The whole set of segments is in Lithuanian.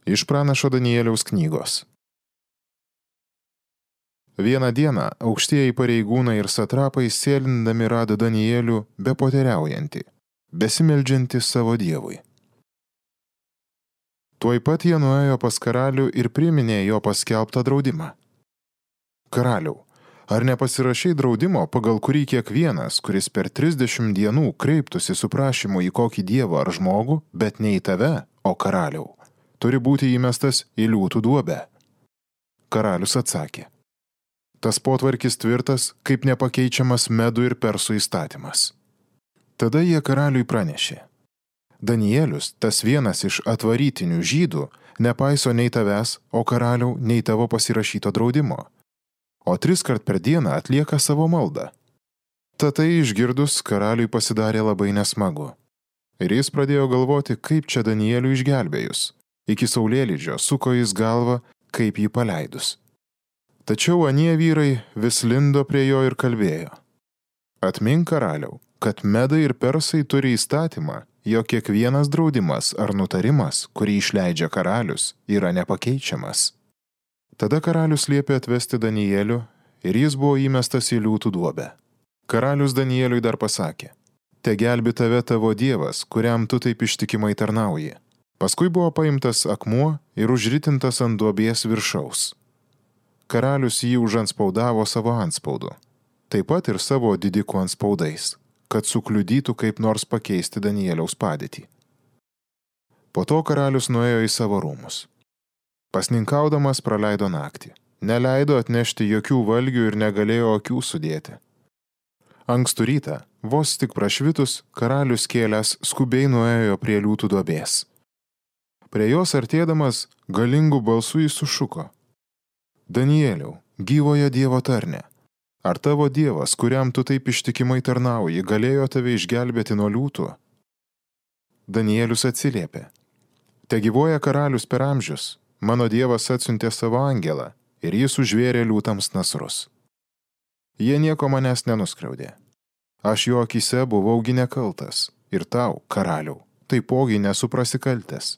Iš pranašo Danieliaus knygos. Vieną dieną aukštieji pareigūnai ir satrapai sėlindami rado Danielių bepoteriaujantį, besimeldžiantį savo dievui. Tuoj pat jie nuėjo pas karalių ir priminė jo paskelbtą draudimą. Karaliau, ar nepasirašai draudimo, pagal kurį kiekvienas, kuris per 30 dienų kreiptųsi su prašymu į kokį dievą ar žmogų, bet ne į tave, o karaliau, turi būti įmestas į liūtų duobę? Karalius atsakė. Tas potvarkis tvirtas, kaip nepakeičiamas medų ir persų įstatymas. Tada jie karaliui pranešė. Danielius, tas vienas iš atvarytinių žydų, nepaiso nei tavęs, o karaliau, nei tavo pasirašyto draudimo, o 3 kart per dieną atlieka savo maldą. Tad tai išgirdus, karaliui pasidarė labai nesmagu. Ir jis pradėjo galvoti, kaip čia Danielių išgelbėjus. Iki saulėlydžio suko jis galvą, kaip jį paleidus. Tačiau anie vyrai vis lindo prie jo ir kalbėjo. Atmink, karaliau, kad medai ir persai turi įstatymą, jog kiekvienas draudimas ar nutarimas, kurį išleidžia karalius, yra nepakeičiamas. Tada karalius liepė atvesti Danielių ir jis buvo įmestas į liūtų duobę. Karalius Danieliui dar pasakė, te gelbi tave tavo dievas, kuriam tu taip ištikimai tarnauji. Paskui buvo paimtas akmuo ir užritintas ant duobės viršaus. Karalius jį užanspaudavo savo antspaudu, taip pat ir savo didikų antspaudais, kad sukliudytų kaip nors pakeisti Danieliaus padėtį. Po to karalius nuėjo į savo rūmus. Pasninkaudamas praleido naktį, neleido atnešti jokių valgių ir negalėjo akių sudėti. Ankstų rytą, vos tik prašvitus, karalius kėlęs skubiai nuėjo prie liūtų duobės. Prie jos artėdamas, galingų balsų jis sušuko. Danieliau, gyvojo Dievo tarne, ar tavo Dievas, kuriam tu taip ištikimai tarnauji, galėjo tave išgelbėti nuo liūtų? Danielius atsiliepė. Te gyvoja karalius per amžius, mano Dievas atsiuntė savo angelą ir jis užvėrė liūtams nasrus. Jie nieko manęs nenuskriaudė. Aš jo akyse buvaugi nekaltas ir tau, karaliau, taipogi nesu prasikaltęs.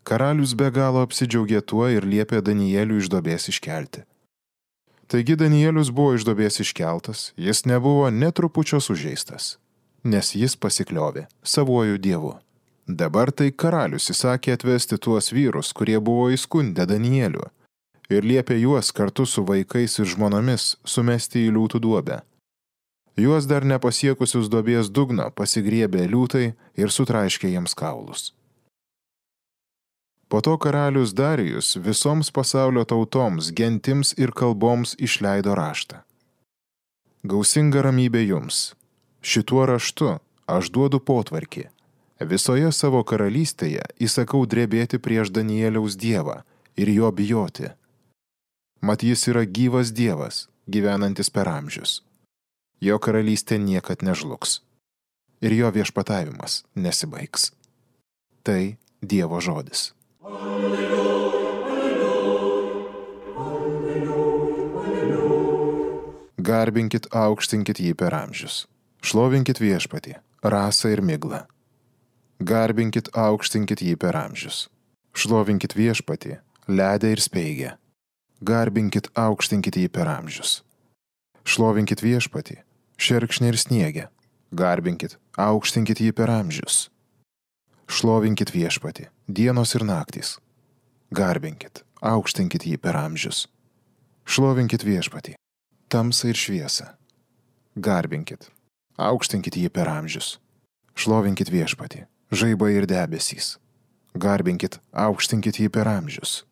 Karalius be galo apsidžiaugė tuo ir liepė Danielių iš duobės iškelti. Taigi Danielius buvo iš duobės iškeltas, jis nebuvo net trupučio sužeistas, nes jis pasikliovė savuoju dievu. Dabar tai karalius įsakė atvesti tuos vyrus, kurie buvo įskundę Danielių, ir liepė juos kartu su vaikais ir žmonomis sumesti į liūtų duobę. Juos dar nepasiekusius duobės dugno pasigriebė liūtai ir sutraiškė jiems kaulus. Po to karalius Darijus visoms pasaulio tautoms, gentims ir kalboms išleido raštą. Gausinga ramybė jums. Šituo raštu aš duodu potvarkį. Visoje savo karalystėje įsakau drebėti prieš Danieliaus dievą ir jo bijoti. Mat jis yra gyvas dievas, gyvenantis per amžius. Jo karalystė niekad nežlugs. Ir jo viešpatavimas nesibaigs. Tai Dievo žodis. Garbinkit, aukštinkit jį per amžius. Šlovinkit viešpatį, rasą ir miglą. Garbinkit, aukštinkit jį per amžius. Šlovinkit viešpatį, ledę ir speigę. Garbinkit, aukštinkit jį per amžius. Šlovinkit viešpatį, šerkšnį ir sniegę. Garbinkit, aukštinkit jį per amžius. Šlovinkit viešpatį, dienos ir naktys. Garbinkit, aukštinkit jį per amžius. Šlovinkit viešpatį, tamsą ir šviesą. Garbinkit, aukštinkit jį per amžius. Šlovinkit viešpatį, žaibai ir debesys. Garbinkit, aukštinkit jį per amžius.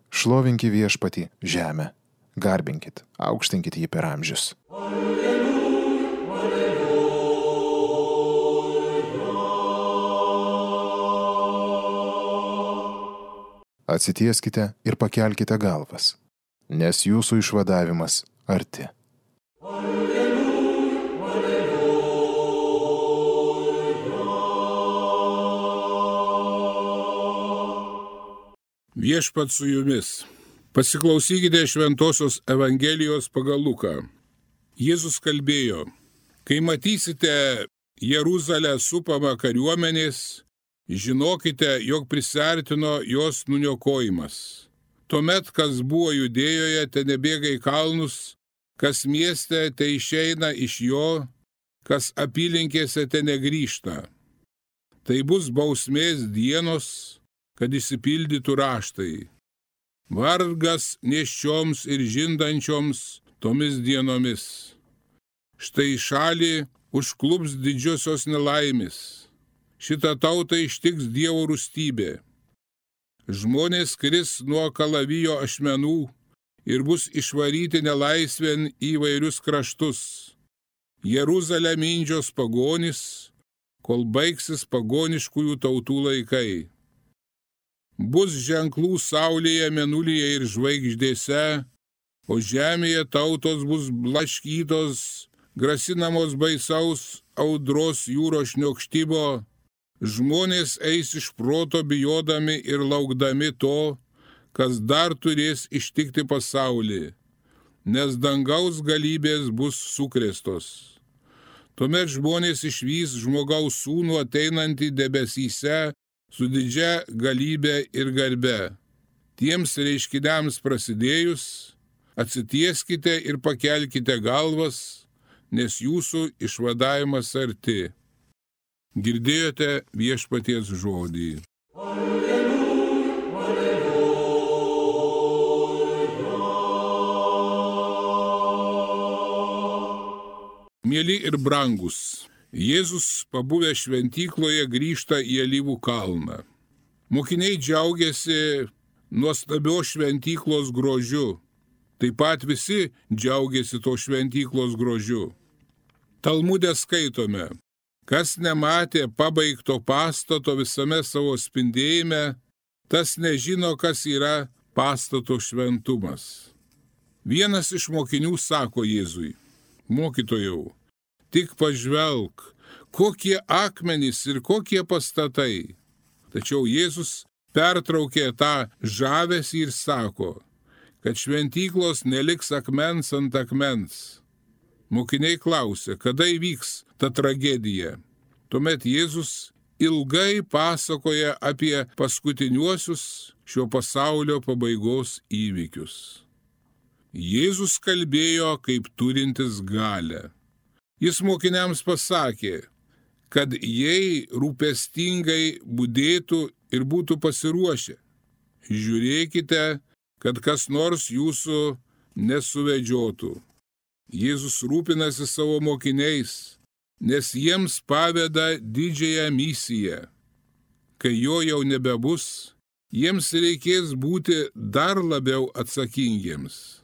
Šlovinkit viešpatį, žemę. Garbinkit, aukštinkit jį per amžius. Atsitieskite ir pakelkite galvas, nes jūsų išvadavimas arti. Viešpats su jumis. Pasiklausykite Šventosios Evangelijos pagal Luką. Jėzus kalbėjo, kai matysite Jeruzalę supamą kariuomenės, Žinokite, jog prisiartino jos nuniokojimas. Tuomet, kas buvo Judėjoje, te nebėga į kalnus, kas mieste, te išeina iš jo, kas apylinkėse, te negrįžta. Tai bus bausmės dienos, kad išsipildytų raštai. Vargas nėščioms ir žindančioms tomis dienomis. Štai šalį užklups didžiosios nelaimės. Šitą tautą ištiks Dievo rūstybė. Žmonės kris nuo kalavijo ašmenų ir bus išvaryti nelaisvėn į įvairius kraštus. Jeruzalę mindžios pagonys, kol baigsis pagoniškųjų tautų laikai. Bus ženklų saulėje, mėnulyje ir žvaigždėse, o žemėje tautos bus blaškytos, grasinamos baisaus audros jūros šniokštimo. Žmonės eis iš proto bijodami ir laukdami to, kas dar turės ištikti pasaulį, nes dangaus galybės bus sukrėstos. Tuomet žmonės išvys žmogaus sūnų ateinantį debesyse su didžia galybė ir garbe. Tiems reiškiniams prasidėjus, atsitieskite ir pakelkite galvas, nes jūsų išvadavimas arti. Girdėjote Viešpaties žodį. Alleluja, alleluja. Mieli ir brangus, Jėzus, pabuvę šventykloje, grįžta į Alyvų kalną. Mokiniai džiaugiasi nuostabios šventyklos grožiu. Taip pat visi džiaugiasi to šventyklos grožiu. Talmude skaitome: kas nematė pabaigto pastato visame savo spindėjime, tas nežino, kas yra pastato šventumas. Vienas iš mokinių sako Jėzui: mokytojau, tik pažvelk, kokie akmenys ir kokie pastatai. Tačiau Jėzus pertraukė tą žavesį ir sako, kad šventyklos neliks akmens ant akmens. Mokiniai klausė, kada įvyks ta tragedija. Tuomet Jėzus ilgai pasakoja apie paskutiniuosius šio pasaulio pabaigos įvykius. Jėzus kalbėjo kaip turintis galią. Jis mokiniams pasakė, kad jei rūpestingai budėtų ir būtų pasiruošę, žiūrėkite, kad kas nors jūsų nesuvedžiotų. Jėzus rūpinasi savo mokiniais, nes jiems paveda didžiąją misiją. Kai jo jau nebebus, jiems reikės būti dar labiau atsakingiems.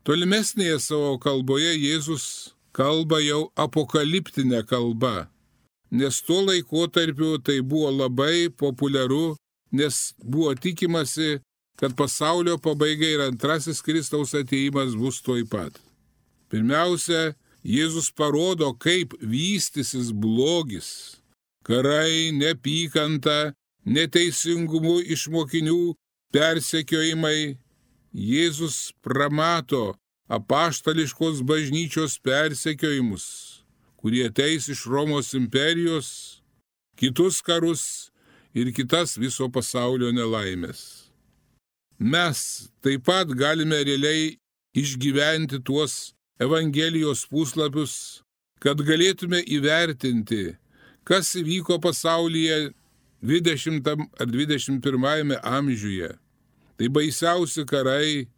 Tolimesnėje savo kalboje Jėzus kalba jau apokaliptinę kalbą, nes tuo laikotarpiu tai buvo labai populiaru, nes buvo tikimasi, kad pasaulio pabaiga ir antrasis Kristaus atėjimas bus tuoj pat. Pirmiausia, Jėzus parodo, kaip vystysis blogis, karai, neapykanta, neteisingumu iš mokinių persekiojimai. Jėzus pramato apaštališkos bažnyčios persekiojimus, kurie ateis iš Romos imperijos, kitus karus ir kitas viso pasaulio nelaimės. Mes taip pat galime realiai išgyventi tuos Evangelijos puslapius, kad galėtume įvertinti, kas įvyko pasaulyje 20 ar 21 amžiuje. Tai baisiausi karai,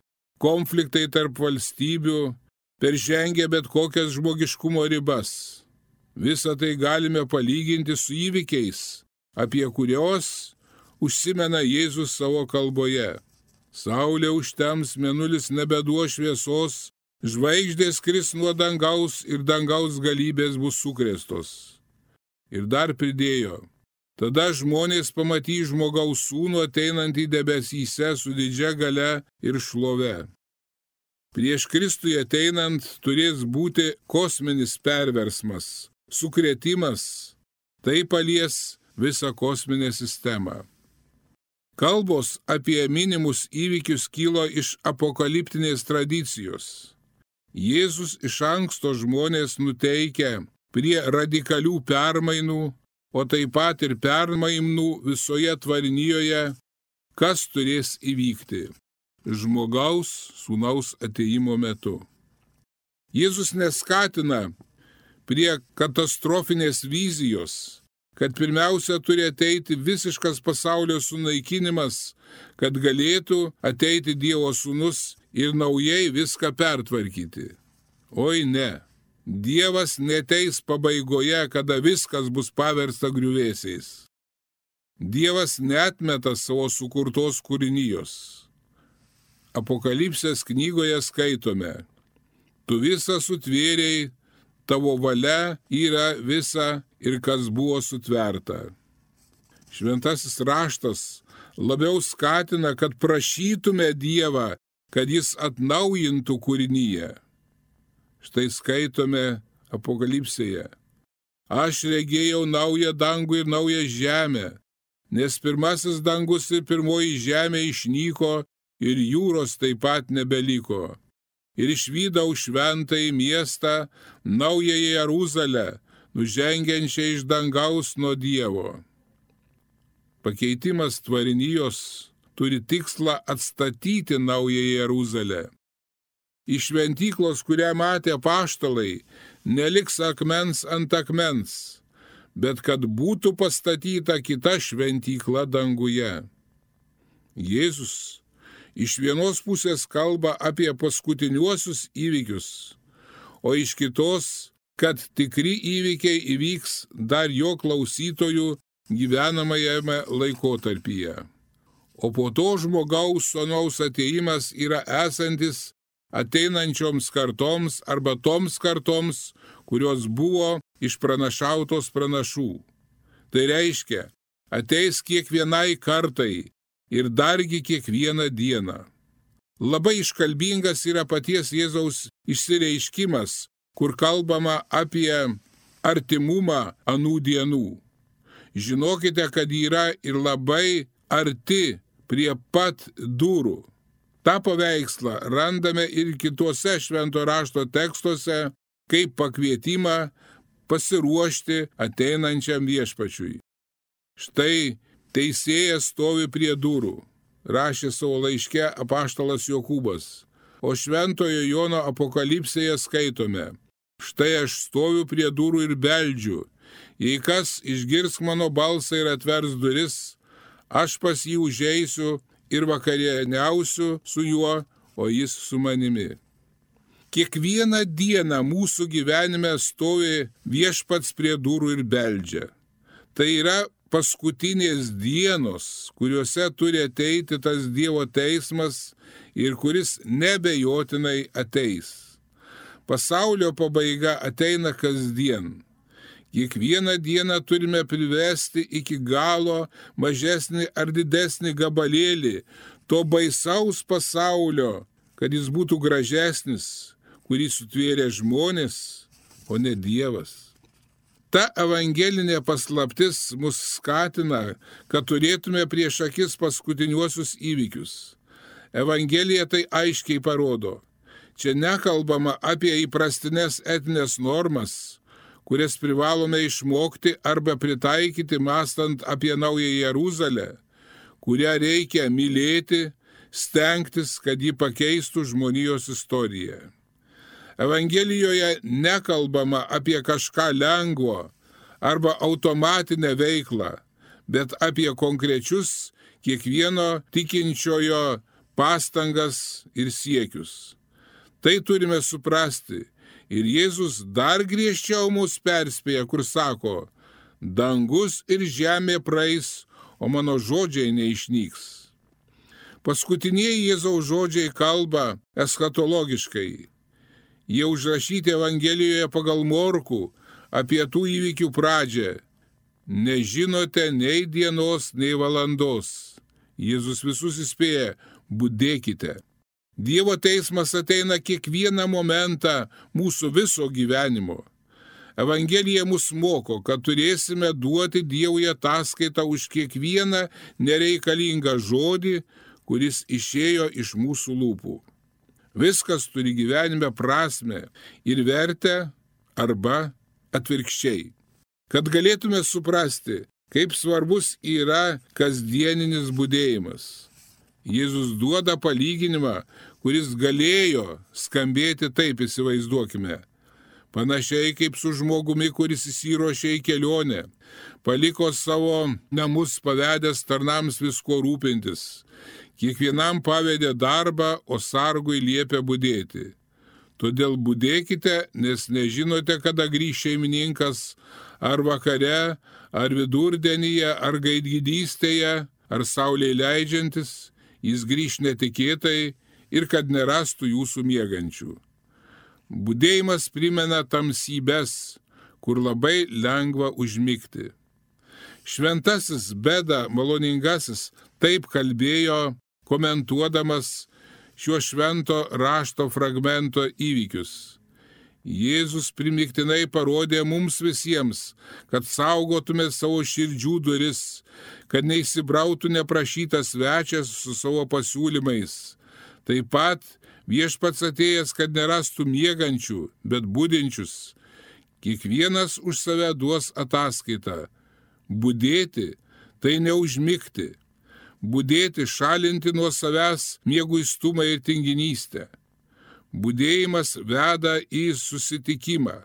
konfliktai tarp valstybių, peržengę bet kokias žmogiškumo ribas. Visą tai galime palyginti su įvykiais, apie kurios užsimena Jėzus savo kalboje. Saulė užtems, mėnulis nebeduos šviesos, žvaigždės kris nuo dangaus ir dangaus galybės bus sukrėstos. Ir dar pridėjo: tada žmonės pamatys žmogaus sūnų ateinantį debesyse su didžia galia ir šlove. Prieš Kristui ateinant turės būti kosminis perversmas, sukrėtimas, tai palies visą kosminę sistemą. Kalbos apie minimus įvykius kilo iš apokaliptinės tradicijos. Jėzus iš anksto žmonės nuteikia prie radikalių permainų, o taip pat ir permainų visoje tvarinijoje, kas turės įvykti žmogaus sūnaus atėjimo metu. Jėzus neskatina prie katastrofinės vizijos, kad pirmiausia turi ateiti visiškas pasaulio sunaikinimas, kad galėtų ateiti Dievo sūnus ir naujai viską pertvarkyti. Oi ne, Dievas neteis pabaigoje, kada viskas bus paversta griuvėsiais. Dievas neatmeta savo sukurtos kūrinijos. Apokalipsės knygoje skaitome: tu visą sutvėrei, tavo valia yra visa ir kas buvo sutverta. Šventasis raštas labiau skatina, kad prašytume Dievą, kad jis atnaujintų kūrinyje. Štai skaitome Apokalipsėje: aš regėjau naują dangų ir naują žemę, nes pirmasis dangus ir pirmoji žemė išnyko ir jūros taip pat nebeliko. Ir išvydau šventąjį miestą, naująją Jeruzalę, nužengiančią iš dangaus nuo Dievo. Pakeitimas tvarinijos turi tikslą atstatyti naująją Jeruzalę. Iš šventyklos, kurią matė apaštalai, neliks akmens ant akmens, bet kad būtų pastatyta kita šventykla danguje. Jėzus iš vienos pusės kalba apie paskutiniuosius įvykius, o iš kitos, kad tikri įvykiai įvyks dar jo klausytojų gyvenamajame laikotarpyje. O po to žmogaus sūnaus atėjimas yra esantis ateinančioms kartoms arba toms kartoms, kurios buvo išpranašautos pranašų. Tai reiškia, ateis kiekvienai kartai ir dargi kiekvieną dieną. Labai iškalbingas yra paties Jėzaus išsireiškimas, kur kalbama apie artimumą anų dienų. Žinokite, kad yra ir labai arti prie pat durų. Ta paveikslą randame ir kituose švento rašto tekstuose, kaip pakvietimą pasiruošti ateinančiam viešpačiui. Štai teisėjas stovi prie durų, rašė savo laiške apaštalas Jokūbas, o šventojo Jono Apokalipsėje skaitome: štai aš stoviu prie durų ir beldžiu, jei kas išgirs mano balsą ir atvers duris, aš pas jį užeisiu ir vakarieniausiu su juo, o jis su manimi. Kiekvieną dieną mūsų gyvenime stovi viešpats prie durų ir beldžia. Tai yra paskutinės dienos, kuriuose turi ateiti tas Dievo teismas ir kuris nebejotinai ateis. Pasaulio pabaiga ateina kasdien. Kiekvieną dieną turime privesti iki galo mažesnį ar didesnį gabalėlį to baisaus pasaulio, kad jis būtų gražesnis, kurį sutvėrė žmonės, o ne Dievas. Ta evangelinė paslaptis mus skatina, kad turėtume prieš akis paskutiniuosius įvykius. Evangelija tai aiškiai parodo. Čia nekalbama apie įprastinės etinės normas, kurias privalome išmokti arba pritaikyti mąstant apie naują Jeruzalę, kurią reikia mylėti, stengtis, kad ji pakeistų žmonijos istoriją. Evangelijoje nekalbama apie kažką lengvo arba automatinę veiklą, bet apie konkrečius kiekvieno tikinčiojo pastangas ir siekius. Tai turime suprasti. Ir Jėzus dar griežčiau mus perspėja, kur sako: dangus ir žemė praeis, o mano žodžiai neišnyks. Paskutinieji Jėzaus žodžiai kalba eschatologiškai. Jie užrašyti Evangelijoje pagal Morkų apie tų įvykių pradžią. Nežinote nei dienos, nei valandos. Jėzus visus įspėja: budėkite. Dievo teismas ateina kiekvieną momentą mūsų viso gyvenimo. Evangelija mus moko, kad turėsime duoti Dievui ataskaitą už kiekvieną nereikalingą žodį, kuris išėjo iš mūsų lūpų. Viskas turi gyvenime prasmę ir vertę arba atvirkščiai. kad galėtume suprasti, kaip svarbus yra kasdieninis budėjimas. Jėzus duoda palyginimą, kuris galėjo skambėti taip, įsivaizduokime. Panašiai kaip su žmogumi, kuris įsiruošė į kelionę, paliko savo namus pavedęs tarnams visko rūpintis. Kiekvienam pavedė darbą, o sargui liepė budėti. Todėl budėkite, nes nežinote, kada grįš šeimininkas, ar vakare, ar vidurdienyje, ar gaidgydystėje, ar saulei leidžiantis, jis grįš netikėtai ir kad nerastų jūsų miegančių. Budėjimas primena tamsybes, kur labai lengva užmigti. Šventasis Beda Maloningasis taip kalbėjo, komentuodamas šio švento rašto fragmento įvykius. Jėzus primiktinai parodė mums visiems, kad saugotume savo širdžių duris, kad neįsibrautų neprašytas svečias su savo pasiūlymais. Taip pat viešpats atėjęs, kad nerastų miegančių, bet budinčius. Kiekvienas už save duos ataskaitą. Budėti tai neužmigti. Budėti šalinti nuo savęs mieguistumą ir tinginystę. Budėjimas veda į susitikimą.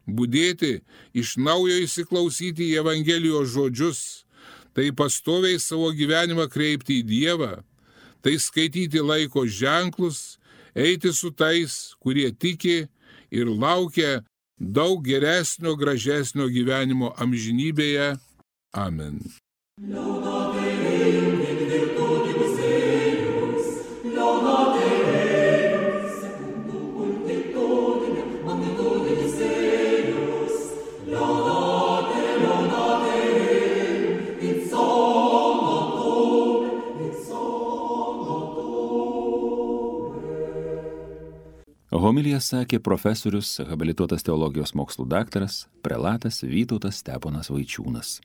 Budėti iš naujo įsiklausyti į Evangelijos žodžius, tai pastoviai savo gyvenimą kreipti į Dievą, tai skaityti laiko ženklus, eiti su tais, kurie tiki ir laukia daug geresnio, gražesnio gyvenimo amžinybėje. Amen. Homiliją sakė profesorius, habilituotas teologijos mokslų daktaras, prelatas Vytautas Steponas Vaičiūnas.